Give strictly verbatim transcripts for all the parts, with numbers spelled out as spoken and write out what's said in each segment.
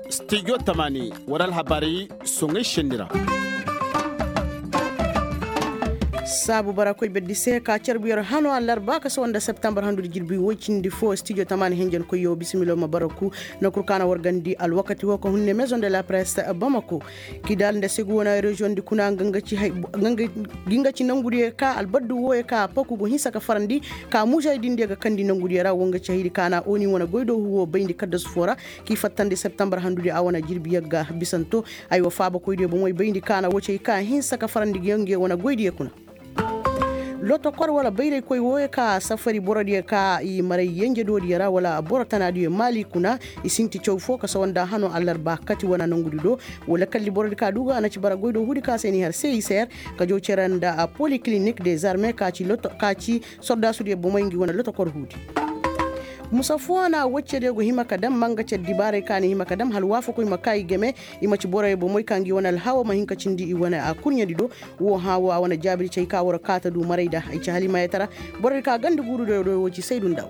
Stijo tamani wara alhabaari soŋay senni ra. Saabu bara koy berdi se ka carbu yer hano allarba ka sohõ nda septembar handu di jirbi woy cindi fo stijo tamani henjen koyyo bisimilo ma bara ku. Nankur ka na wargandi alwakati wo ka hunne maison de la presse bamako. Kidal nda segu wane reziyoŋ di kuna nga nga ci nangu diyo ka albaddu wooyo ka paku go hinsa ka farandi ka muuzay din diyo ga kandi nangu diyo ra wo nga ci haydi ka na oni wane goydoohu wo bayndi kaddasu fo ra. K'i fattandi septembar handu di a wane jirbi yagga bisanto. Aywa faabakoy diyo bomoy bayndi ka na wo cay ka hinsa ka farandi nga nga wane goy diyo kuna. Lotokor wala bayraykoy wooyo ka safari boro diyo ka i maray yenje do diyo ra wala boro tana diyo maali kuna. I sinti caw fo ka sawa nda hano allarba kati wane nangudi do. Wala kalli boro di ka duuga a na ci bara goy do huudi ka se ni har se i seer ka jaw cere nda polikilinik de zarme ka ci soldaasu diyo bomey ngi wane lotokor huudi. Musa fo na wacce diyo go hima ka dam manga cere dibaaray ka ni hima ka dam hala waafakoy ma ka i game. I ma ci boroyo bomey ka ngi wane alhawa ma hin ka cindi i wane a kurɲe di do. Wo hã wo a wane jaabi di cay ka war kaata du maray da ay ci halimayatara. Boro di ka ganda guuru do do wo ci saydu ndaw.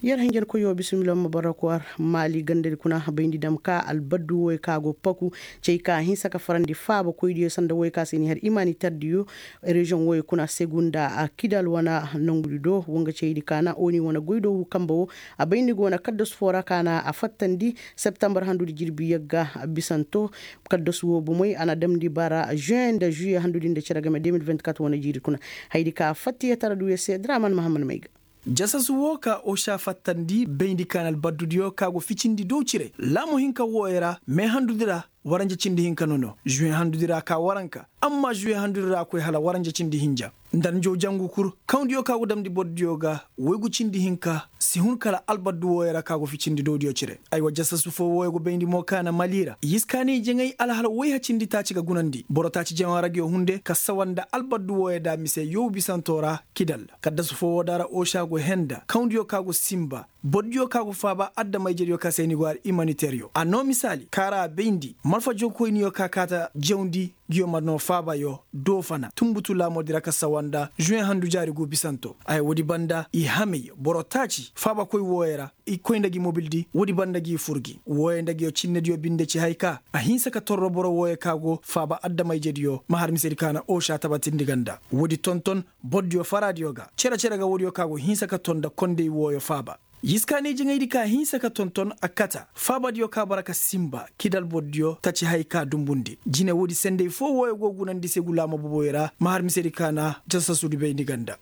Yer hanjar koyo bisimila ma bara kwar maali ganda di kuna bayndi dam ka albaddu woy ka go paku. Cay ka hinsa ka farandi faaba koy diyo sanda woy ka se ni har imani tardiyo. Reziyoŋ woy kuna segunda a kidal wana nangudi do wanga cay di ka na oni wana goy do wu kamba wo. A bayndi go wana kaddasu fo ra ka na a fattandi. Septembar handudi jirbi yagga bisanto. Kaddasu wo bomey a na damndi bara juin nda juillet handudi nda cere game deux mille vingt-quatre wane jiiri kuna. Haydi ka fattiyatara duuya se draman mahammad mayga. Jasasu wo ka osa fattandi bayndi ka na albaddudiyo ka go ficindi dow cire laamo hinka wooyo ra me handudi ra. Waranja cindi hinka nono juin handudi ra ka waranka. Amma juin handudi ra koy hala waranja cindi hinja. Nda njow jangu kul kawndiyo ka go damndi bordiyo ga woygu cindi hinka si hun kala albaddu wooyo ra ka go ficindi dowdiyo cire. Aywa jasasu fo wooyo go bayndi mo ka na mali ra yiskaanay jaŋay alhala woyha cindi taaci ga gunandi boro taaci jaŋa ra ga yo hunde ka sawa nda albaddu wooyo da mise yow bisanto ra. Kidal kaddasu fo woo da ra osa go henda kawndiyo ka go sinba. Bordiyo ka go faaba addamayjediyo ka se ni go har imaniteryo a noo misaali kaara a bayndi malfa jookoyniyo ka kaata jawndi. Giyo ma noo faabayo doofana tunbutu laamoodi ra ka sawa nda juin handu jaari guu bisanto ay woodi banda i hamey boro taaci faabakoy wooyo ra. I koy nda gi mobildi woodi banda gi fur gi wooyo nda giyo cinnediyo binde ci hay ka a hinsa ka torro boro wooyo ka go faaba addamayjediyo ma har misedi ka na osa tabatindi ga nda woodi tonton. Bordiyo faraadiyo ga cere-cere ga woodiyo ka go hinsa ka ton nda kondey wooyo faaba. Yiskaanay jaŋaydi ka hinsa ka tonton a kata faabadiyo ka bara ka sinba kidal bordiyo taci hay ka dumbundi jine woodi sendey fo wooyo go gunandi segu laama boboyo ra ma har misedi ka na jasasudi bayndi ga nda.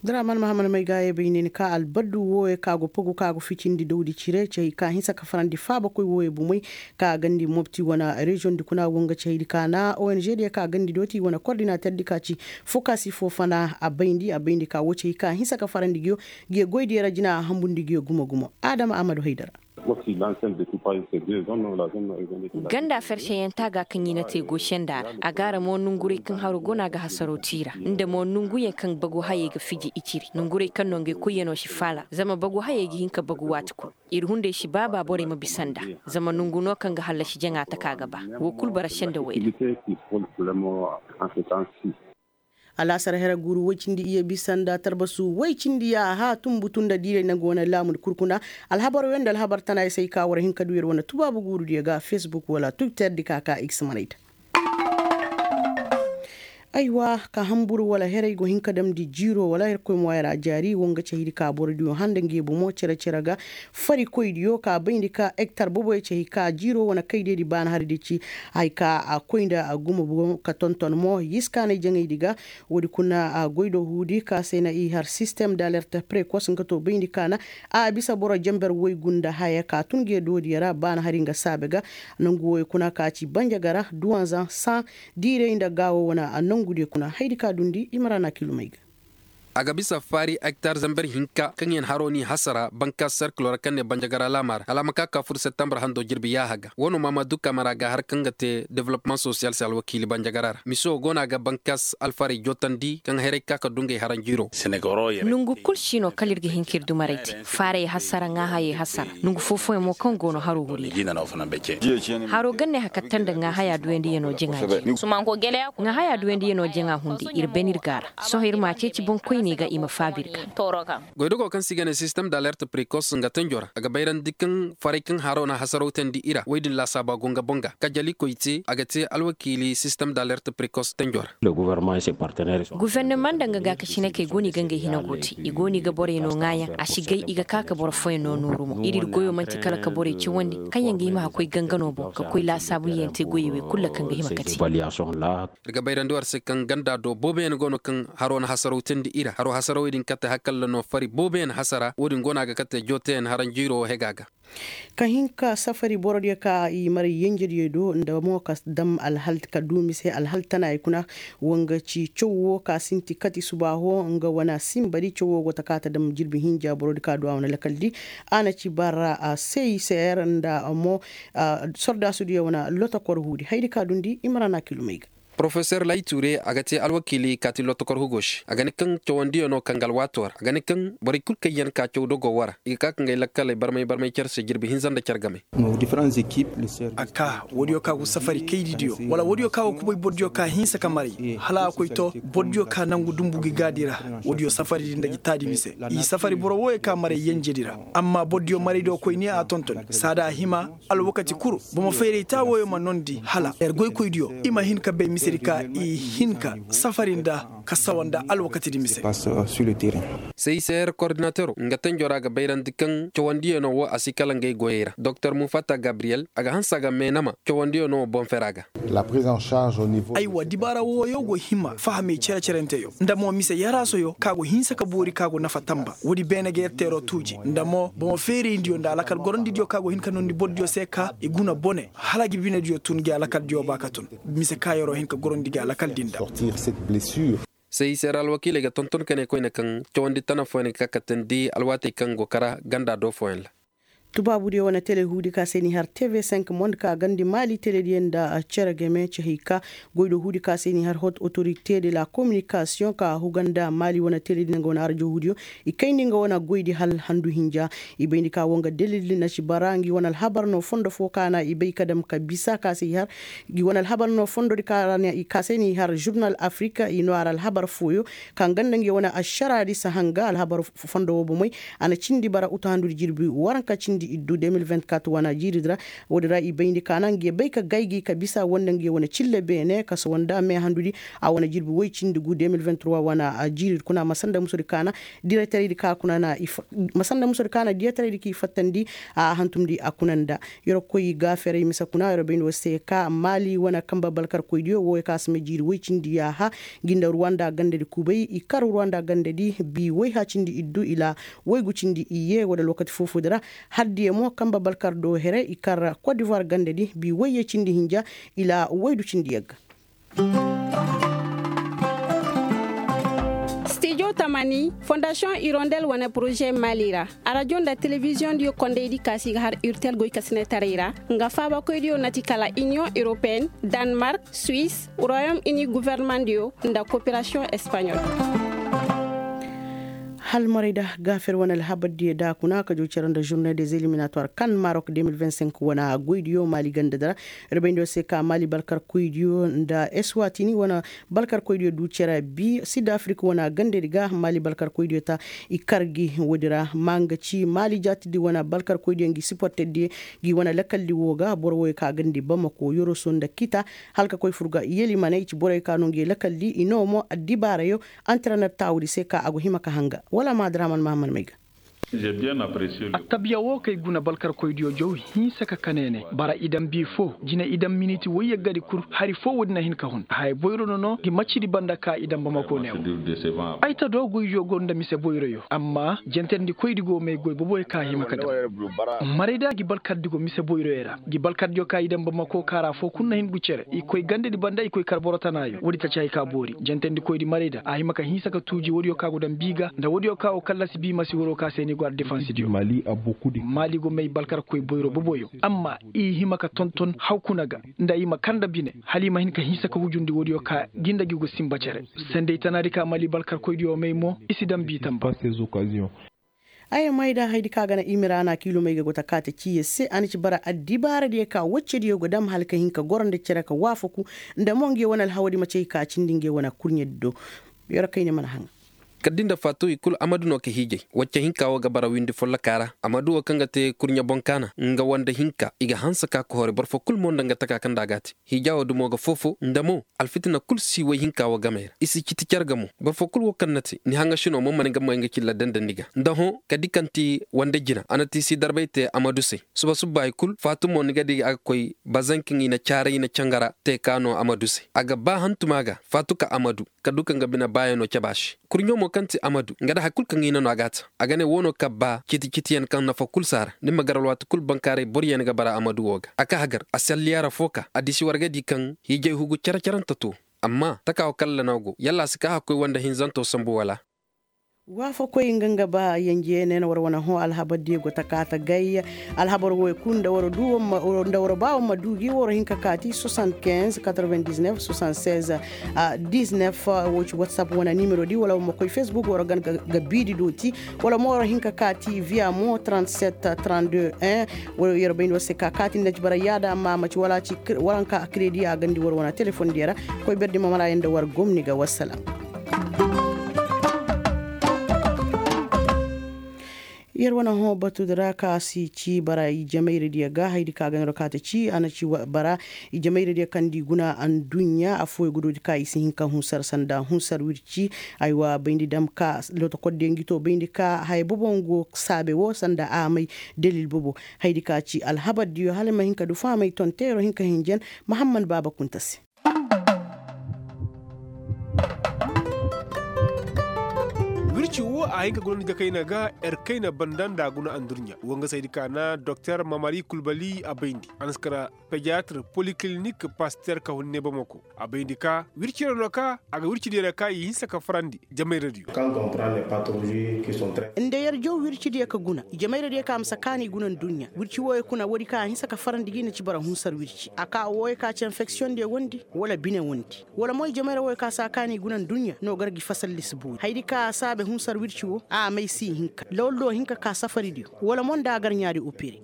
Draman mahammad may ga ye bay ne ni ka albaddu wooyo ka go pogu ka go ficindi dawdi cire cey ka hinsa ka farandi faabakoy wooyo bomey ka gandi mobti wana reziyoŋ di kuna wonga cey di ka na ong di ka gandi dooti wana kordinater di ka ci fokasi fo fana a bayndi a bayndi ka wo cey ka hinsa ka farandi giyo. Giyo goy di yara jina a hambundi giyo gumo gumo adama amadu haydara. Ganda ferseyaŋ ta ga kaŋ i na te goosenda ra a gaara mo nonguray kaŋ haro go no a ga hasaro tiira nda mo nonguyaŋ kaŋ bagu hayey ga fiji i ciri nonguray kaŋ no ngey koyyaŋo si faala zama bagu hayey ga hin ka bagu waati kulu. Ir hunday si baaba borey ma bisa nda zama nongu no kaŋ ga hallasi jaŋa taka ga ba. Wo kulu bara senda wayra. Alaasar here guuru woy cindi iyye bisa nda tarbasu woy cindi ya haa tumbutu nda diiray nangu wane laamu di kurkuna. Alhabar wey nda alhabar tana ya say ka war hin ka du yer wane tubaabu guuru diyo ga facebook wala twitter di ka ka x manay ta. Aywa ka hamburu wala herey go hin ka damndi jiiro wala herkoy mo ay ra jaari wo nga cahidi ka boro diyo handa nge bomo cere-cere ga. Farikoy diyo ka bayndi ka ektar boboy cahi ka jiiro wane kay deedi baana hari di ci. Hay ka a koy nda a gumo bomo ka tonton mo yiskaanay jaŋaydi ga. Woodi kuna a goy do huudi ka se na i har sistem da alerte prekos nga to bayndi ka na a bisa boro jamber woy gunda haya ka tun ge doodiyo ra baana hari nga saabe ga. Nangu woy kuna ka ci banjagara duwanzan san diiray nda gaawo wane a nangu diyo kuna haydi ka dundi i ma ra na kilumay ga. A ga bisa faari ektar zamber hinka kaŋ yaŋ haro n'i hasara banka serkilo ra kaŋ ne banjagara laama ra hala a ma ka ka fur septembar hando jirbi yaaha ga. Wo no maama duka mara ga har kaŋ ga te development sosiyal se alwakiili banjagara ra mise wo go no a ga bankas alfaarey jootandi kaŋ hayrey ka ka dungay haranjiiro. Nongu kul si no kala ir ga hin ka ir dumarey te. Faarey hasara ŋaahayey hasara nongu foo-fooyaŋ mo kaŋ go no haro huri ra. Haro ganne hakatta nda ŋaahaya duyandiyanoo jaŋa jee. Ŋaahaya duyandiyanoo jaŋa hunday ir bane ir ga a ra. Sohõ ir m'a ceeci boŋkoyney ga i ma faabi ir ga. Goydogo kaŋ se i ga ne sistem da alert prekos nga tanjo ra a ga bayrandi kaŋ faray kaŋ haro na hasaraw teendi i ra woy din laasaaba go nga boŋ ga kajali koy te a ga te alwakiili sistem da alert prekos tanjo ra. Gufornama nda nga gaakasinakey go no i ga ngey hina go te i go no i ga borey no ŋaayaŋ a si gay i ga ka ka boro fooyaŋ no nooru mo ir ir goyo man'ti kala ka borey cawandi kaŋ yaŋ ga hima ka koy gangano boŋ ka koy laasaabu yaŋ te goyey wey kulu ra kaŋ ga hima ka te. Ir ga bayrandi war se kaŋ ganda do booboyaŋ go no kaŋ haro na hasaraw teendi i ra haro hasarawey din kate hakalla no fari booboyaŋ hasara wo- din go no a ga kate jooteyaŋ haranjiiro wo hega ga. Ka hin ka safari borodiyo ka i maray yenjediyo do nda mo ka dam alhal ka du mise alhal tanayaŋ kuna. Wanga ci caw wo ka sinti kati subaaho nga wane simbadi caw wo go ta ka ta dam jirbi hinja borodi ka du a wane lakaldi. A na ci bara a se i seer nda mo sordaasudiyo wane lotokor huudi haydi ka dundi i ma ra na kilumey ga. Porofesor layi tuure a ga te alwakiili kaati lotokor hugo se a ga ne kaŋ cawandiyo no kaŋ ga alwaato ra a ga ne kaŋ borey kul kaŋ yaŋ ka caw dogo wara i ga ka ka ngay lakkaley barmay barmay care se jirbi hinza nda care game. A ka woodiyo ka go safari kaydidiyo wala woodiyo ka go kubay bordiyo ka hinsa ka maray hala a koy to bordiyo ka nangu dumbu gi gaadi ra. Woodiyo safari di nda gi taadi mise i safari boro wooyo ka maray yenjedi ra. Amma bordiyo maraydiyo koy ne a tonton saada a hima. Alwakati kul bomo fayray taa wooyo ma noondi hala yer goykoydiyo i ma hin ka bay misedi ka i hin ka safari nda ka sawa nda alwakatidi mise. Seyseer kordinatero nga tenjo ra ga bayrandi kaŋ cawandiyanoo wo a si kala ngey goyey ra doktor mufata gabriyel a ga hanse a ga meenama cawandiyanoo wo boŋ fera ga. Aywa dibaara wooyo go hima fahamey cere-cerenteyo nda mo mise yaraasoyo ka go hinsa ka boori ka go nafa tamba woodi beene ga yer teeroo tuuji nda mo bomo feerayindiyo nda alakal gorondidiyo ka go hin ka noondi bordiyo se ka i guna bone hala gi binediyo tun gi alakaldiyo ba ka tun. Mise ka yeroo hin ka gorondi gi alakal din da. Sey seera alwakiiley ga tonton ka ne koyne kaŋ cawandi tana fooyaŋ ga ka katandi alwaatey kaŋ go kara ganda do fooyaŋ ra. Tubaabudiyo wane tele huudi ka se n'i har tv cinq monde ka gandi maali telediyo nda cere game cehey ka goydo huudi ka se n'i har hot autorite de la communication ka huga nda maali wane teledi nda nga wane arajo huudiyo. I kayndi nga wane goydi hal handu hinja. I bayndi ka wo nga delildi na si bara ngi wane alhabar no fondo fo ka na i bay ka dam ka bisa ka se i har. Ngi wane alhabar no fondodi ka se n'i har jurnal afirika i no a ra alhabar fooyo. Ka nga nda ngi wane ašaraadi si hanga alhabar fondo wo bomey. A na cindi bara utu handudi jirbi waranka cindi iddu deux mille vingt-quatre wane jiiridi ra. Woodi ra i bayndi ka na ngi bay ka gaygi ka bisa wanda ngi wane cille beene ka sawanda me handudi. A wane jirbi woy cindi gu deux mille vingt-trois wane jiiridi kuna ma sanda musudi ka na direteraydi ka kuna na ma sanda musudi ka na direteraydi k'i fattandi. A hantumdi a kuna nda yer koy gaaferay mise kuna yer bayndi wo se ka maali wane kamba balkarkoydiyo wooyo ka si ma jiiri woy cindi yaaha. Ngi nda ruwanda gandadi kubay i kar ruwanda gandadi bi woy ha cindi iddu ila woy gu cindi iyye wala lookati foofoodi ra. Haddiyo mo kamba balkar do here i kar kodivuwar gandadi bi woyye cindi hinja ila woy du cindi yagga. Stijo tamani fondasiyoŋ irondel wane poroze mali ra. Arajo nda telebiziyoŋ diyo kondaydi ka si ga har urtel goykasinetaray ra. Nga faabakoydiyo na ti kala iniyoŋ europeyenne, danmark, suwis, royom ini guvernemandiyo nda koperasiyoŋ espaɲol. Halmaray da gaafer wane alhabardiyo da kuna ka jo cere nda journée des éliminatoires kan marok deux mille vingt-cinq wane goydiyo mali gandadi ra. Yer bayndi wo se ka maali balkarkoydiyo nda eswatini wane balkarkoydiyo du cere bi sid afrik wane gandadi ga maali balkarkoydiyo ta. I kar gi woodi ra ma nga ci maali jaatidi wane balkarkoydiyo ngi siporterdiyo. Ngi wane lakaldi wo ga boro woyo ka gandi bamako yoroso nda kita hala ka koy fur ga yelimaney ci boroyo ka no ngi lakaldi i no mo addibaarayo. Antrener taawudi se ka a go hima ka hanga wala ma adraman mahamad may ga. Attabiya woo kay guna balkarkoydiyo jaw hinsa ka kaneene bara idam bii foo jine idam miniti woy yaggadi kul hari foo woodi na hin ka hun haya boyro nono ngi maccidi banda ka idam bamako neewo. Ay ta do goydiyo go nda mise boyroyo amma jentendikoydi go may goy boboyo ka hima ka dam. Marayda ngi balkardi go mise boyroyo ra ngi balkardiyo ka idam bamako ka ra foo kul na hin gu cere i koy gandedi banda i koy kar boro tanaayo woodi taci hay ka boori jentendikoydi marayda a hima ka hinsa ka tuuji woodiyo ka go dam bii ga nda woodiyo ka wo kallasi bii masi waroo ka se ni go ar defansidiyo. Maali go may balkarkoy boyro boboyo amma i hima ka tonton haw kuna ga nda i ma kar nda bine hala i ma hin ka hinsa ka hujundi woodiyo ka gi nda gi go sinba cere. Sendey tanaadi ka maali balkarkoydiyo may mo i si dam bii tamba. Ay mayda haydi ka ga na imira na kiilomey ga go ta kaate ciiye se a na ci bara addibaaradiyo ka woccediyo go dam hala ka hin ka goro nda cere ka waafaku nda mo nge wane alhawadi ma cay ka cindi nge wane kurɲedi do. Yer kayne mana haŋa. Kaddi nda faatu i kul amadu no ka hiijay wacce hinka wo ga bara windi folloka ra amadu wo kaŋ ga te kurɲe boŋ kaana nga wande hinka i ga hanse ka kohori boro fo kul mo nda nga taka kaŋ nda a ga a te. Hiijaa wo dumo ga foofo nda mo alfitina kul si woy hinka wo gamey ra i si citi car ga mo. Boro fo kul wo kaŋ na te ni haŋasinoo mo ma ni ga may nga cilla dandandi ga nda hõ ka di kaŋ ti wande jina a na ti si darbay te amadu se. Suba subbaayi kul faatu mo ni ga di a ga koy bazankaŋ i na caaray i na cangara te ka no amadu se a ga ba hantuma ga faatu ka amadu ka du ka nga bine baayanoo caba se. Kurɲo mo kaŋ ti amadu nga da hari kul kaŋ i na no a ga a ta a ga ne woo no kabbaa citi citiyaŋ kaŋ nafa kul si a ra ni ma gar alwaati kul bankaaray boroyaŋ ga bara amadu woo ga a ka hagar a salliyaara foo ka a disi war ga di kaŋ hiijay hugu cere-cerante too. Amma takaa woo kallana go yalla a si kaa hakkoy woo nda hinzantoo sambu wala? Waafakoy nga nga ba yenje ne na war wane hõ alhabar diyo go ta kaa ta gay. Alhabar wooyo kul nda war du nda war ba war ma du gi war hin ka kaati soixante-quinze quatre-vingt-dix-neuf soixante-seize dix-neuf. Woo ci whatsapp wane nimero di wala war ma koy facebook war ga biidi dooti wala mo war hin ka kaati via mo trente-sept trente-deux un. Wala yer bayndi war se ka kaati nda ci bara yaada amma ma ci wala ci waranka kredi a gandi war wane telefon diyo ra. Koy berdi ma mara yanda war gomni ga wassalam. Yer wane hõ batudi ra ka si ci bara i jamayradiyo ga haydi ka ganaro ka ta ci a na ci bara i jamayradiyo kaŋ di guna anduɲɲa affooyo ga doodi ka i si hin ka hunsar sanda hunsar wirci. Aywa bayndi dam ka lotokordiyo ngi to bayndi ka haya bobo ngo saabe wo sanda a may dalil bobo. Haydi ka ci alhabardiyo hala ma hin ka du faamay tonteero hin ka hinjan. Mahammad baaba kunta se. Wirci wo a hin ka guna nda jakayna ga. Erkayna banda nda a guna andurɲa wo nga saydi ka na doktor mamari kulbali a bayndi a na si kara pediatre polikilinik paster ka hun ne bamako. A bayndi ka wirci ra no ka a ga wirci diyo ra ka i hinsa ka farandi. Jamayradiyo. Nda yer jaw wircidiyo ka guna i jamayradiyo ka ma si a kaani guna nduɲɲa wirci wooyo kuna woodi ka a hinsa ka farandi gi na ci bara hunsar wirci a ka wooyo ka ci enfeksiyoŋdiyo wondi wala bine wondi wala mo i jamayra wooyo ka si a kaani guna nduɲɲa no gar gi fasalli si boori haydi ka a saabe hunsar wirci woo a may si i hinka lawallo hinka ka safaridiyo wala mo nda a gar ɲaadi opere.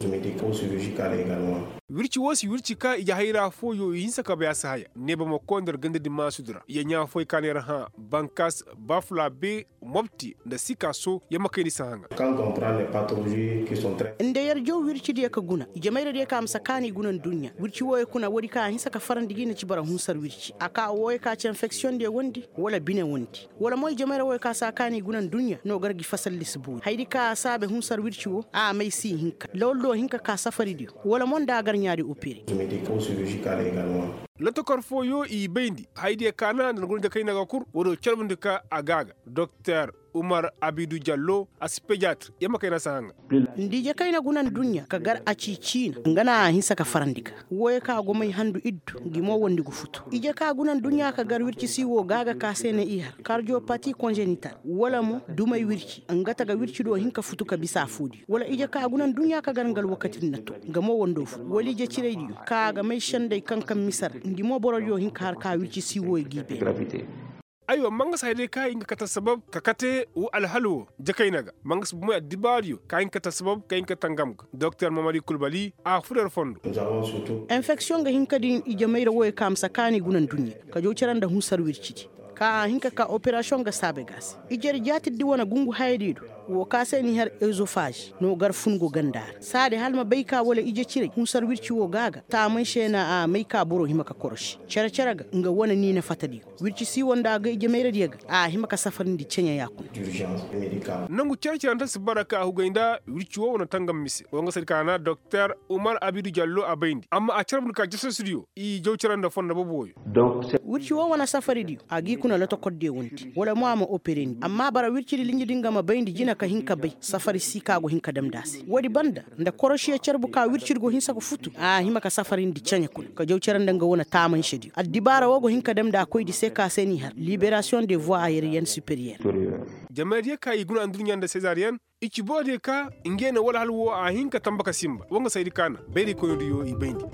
Wirci woo si wirci ka ije hayra fooyo i hinsa ka bay a si haya neeba ma koy nda yer gandadi maasudi ra yer ɲaa fooyo ka na yer hã bankas bafula be mobti nda sikaso yer ma kayndi si hã ŋa. Nda yer jaw wircidiyo ka guna i jamayradiyo ka ma si a kaani guna nduɲɲa wirci wooyo kuna woodi ka a hinsa ka farandi gi na ci bara hunsar wirci a ka wooyo ka ci enfeksiyoŋdiyo wondi wala bine wondi wala mo i jamayra wooyo ka si a kaani guna nduɲɲa no gar gi fasalli si boori haydi ka a saabe hunsar wirci woo a may si i hinka lawallo hinka ka safaridiyo wala mo nda a gar ɲaadi opere. Lotokor fooyo i bayndi haydiyo ka na nda na guna jakayna ga kul woo do carbundi ka a ga a ga doktor umar abidu jallo a si pediatre yer ma kayna si hã ŋa. Nda ije kayna guna nduɲɲa ka gar a ci ciina nga na a hinsa ka farandi ga wooyo ka go may handu iddu ngi mo wondi gu futu ije ka guna nduɲɲa ka gar wirci si woo ga a ga ka se na i har kardiyopati konzenital wala mo dumay wirci nga ta ga wirci do hin ka futu ka bisa affoodiyo wala ije ka guna nduɲɲa ka gar nga alwakati din na to nga mo wondo futu wala ije ciraydiyo ka a ga may sendey kaŋ kaŋ mise ra ngi mo borodiyo hin ka har ka wirci si wooyo g'i beene. Aywa mangas hayday ka i nga kate sabab ka kate woo alhal woo jakayna ga mangas bomoy addibaariyo ka hin kate sabab ka hin kate ngam ga doktor mamari kulbali a fur yer fondo. Enfeksiyoŋ ga hin ka din ije mayra wooyo ka ma si a kaani guna nduɲɲa ka jaw cere nda hunsar wircidi ka a hin ka ka operasiyoŋ ga saabe ga a se ije yer jaatirdi wane gungu hayadiyo do. Woo ka se n'i har ezofaaz no gar fun go ganda ra saadi hala ma bay ka wala ije ciray hunsar wirci woo ga a ga taamanse na a may ka boro hima ka korosi cere-cere ga nga wane niina fatadiyo wirci siiwo nda a ga ije mayradiyo ga a hima ka safarindi ceɲe ya kuna. Nangu cere-cere nta si bara ka a hugay nda wirci woo wane tangam mise woo nga saydi ka na doktor umar abidu jallo a bayndi amma a carbundi ka jasasidiyo i jaw cere nda fondo bobo wooyo. Wirci woo wane safaridiyo a g'i kuna lotokordiyo wandi wala mo a ma operandi amma bara wircidi linjidi nga ma bayndi jina ka hin ka bay safari si ka go hin ka damndi a se woodi banda nda korosiyo carbu ka wircidi go hinsa ga futu a hima ka safarindi ceɲe kuna ka jaw cere nda nga wane taamansediyo addibaara woo go hin ka damndi a koydi se ka se n'i har liberasiyoŋ de voie ayeeriyen superiyer. Jamaydiyo ka i guna adduɲɲa nda sezariyen i ci boodiyo ka ngey na wala hala woo a hin ka tanba ka sinba woo nga saydi ka na bayraykoynidiyo i bayndi.